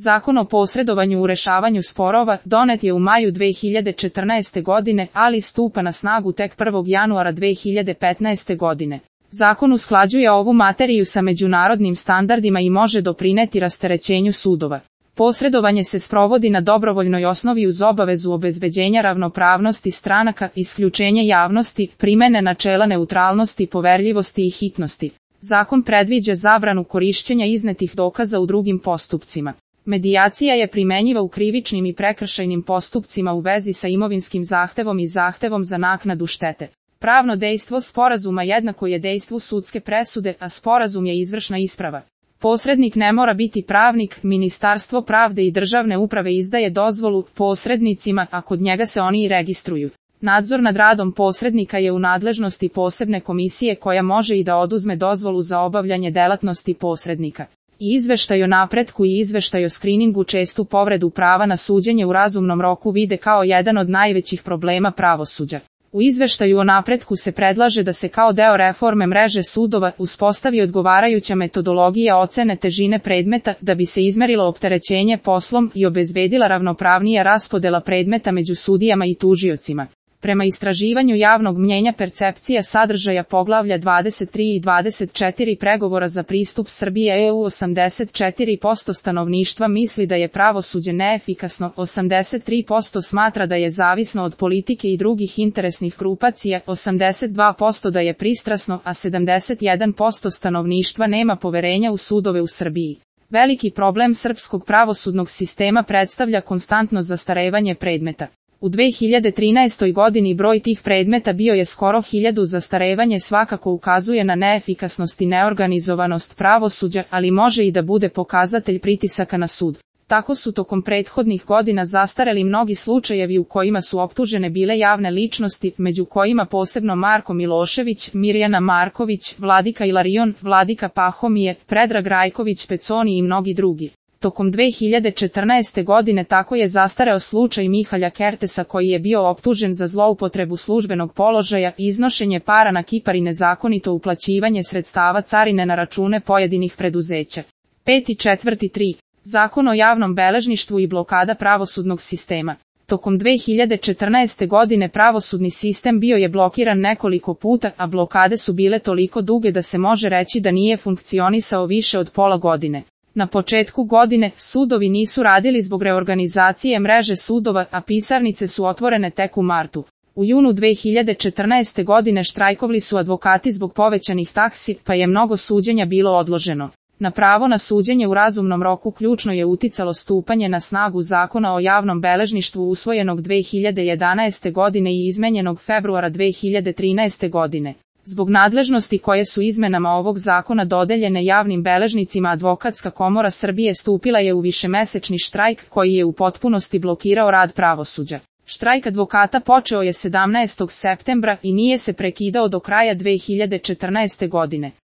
Zakon o posredovanju u rešavanju sporova donet je u maju 2014. godine, ali stupa na snagu tek 1. januara 2015. godine. Zakon usklađuje ovu materiju sa međunarodnim standardima i može doprineti rasterećenju sudova. Posredovanje se sprovodi na dobrovoljnoj osnovi uz obavezu obezbeđenja ravnopravnosti stranaka, isključenje javnosti, primene načela neutralnosti, poverljivosti i hitnosti. Zakon predviđa zabranu korišćenja iznetih dokaza u drugim postupcima. Medijacija je primenjiva u krivičnim i prekršajnim postupcima u vezi sa imovinskim zahtevom i zahtevom za naknadu štete. Pravno dejstvo sporazuma jednako je dejstvu sudske presude, a sporazum je izvršna isprava. Posrednik ne mora biti pravnik, Ministarstvo pravde i državne uprave izdaje dozvolu posrednicima, a kod njega se oni i registruju. Nadzor nad radom posrednika je u nadležnosti posebne komisije koja može i da oduzme dozvolu za obavljanje delatnosti posrednika. I izveštaj o napretku i izveštaj o skriningu čestu povredu prava na suđenje u razumnom roku vide kao jedan od najvećih problema pravosuđa. U izveštaju o napretku se predlaže da se kao deo reforme mreže sudova uspostavi odgovarajuća metodologija ocene težine predmeta da bi se izmerilo opterećenje poslom i obezbedila ravnopravnija raspodela predmeta među sudijama i tužiocima. Prema istraživanju javnog mnjenja percepcija sadržaja poglavlja 23 i 24 pregovora za pristup Srbije EU 84% stanovništva misli da je pravosuđe neefikasno, 83% smatra da je zavisno od politike i drugih interesnih grupacija, 82% da je pristrasno, a 71% stanovništva nema poverenja u sudove u Srbiji. Veliki problem srpskog pravosudnog sistema predstavlja konstantno zastarevanje predmeta. U 2013. godini broj tih predmeta bio je skoro 1000. Zastarevanje svakako ukazuje na neefikasnost i neorganizovanost pravosuđa, ali može i da bude pokazatelj pritisaka na sud. Tako su tokom prethodnih godina zastareli mnogi slučajevi u kojima su optužene bile javne ličnosti, među kojima posebno Marko Milošević, Mirjana Marković, Vladika Ilarion, Vladika Pahomije, Predrag Rajković Peconi i mnogi drugi. Tokom 2014. godine tako je zastareo slučaj Mihalja Kertesa koji je bio optužen za zloupotrebu službenog položaja, iznošenje para na Kipar i nezakonito uplaćivanje sredstava carine na račune pojedinih preduzeća. 5.4.3. Zakon o javnom beležništvu i blokada pravosudnog sistema. Tokom 2014. godine pravosudni sistem bio je blokiran nekoliko puta, a blokade su bile toliko duge da se može reći da nije funkcionisao više od pola godine. Na početku godine, sudovi nisu radili zbog reorganizacije mreže sudova, a pisarnice su otvorene tek u martu. U junu 2014. godine štrajkovali su advokati zbog povećanih taksi, pa je mnogo suđenja bilo odloženo. Na pravo na suđenje u razumnom roku ključno je uticalo stupanje na snagu Zakona o javnom beležništvu usvojenog 2011. godine i izmenjenog februara 2013. godine. Zbog nadležnosti koje su izmenama ovog zakona dodeljene javnim beležnicima, Advokatska komora Srbije stupila je u višemesečni štrajk koji je u potpunosti blokirao rad pravosuđa. Štrajk advokata počeo je 17. septembra i nije se prekidao do kraja 2014. godine.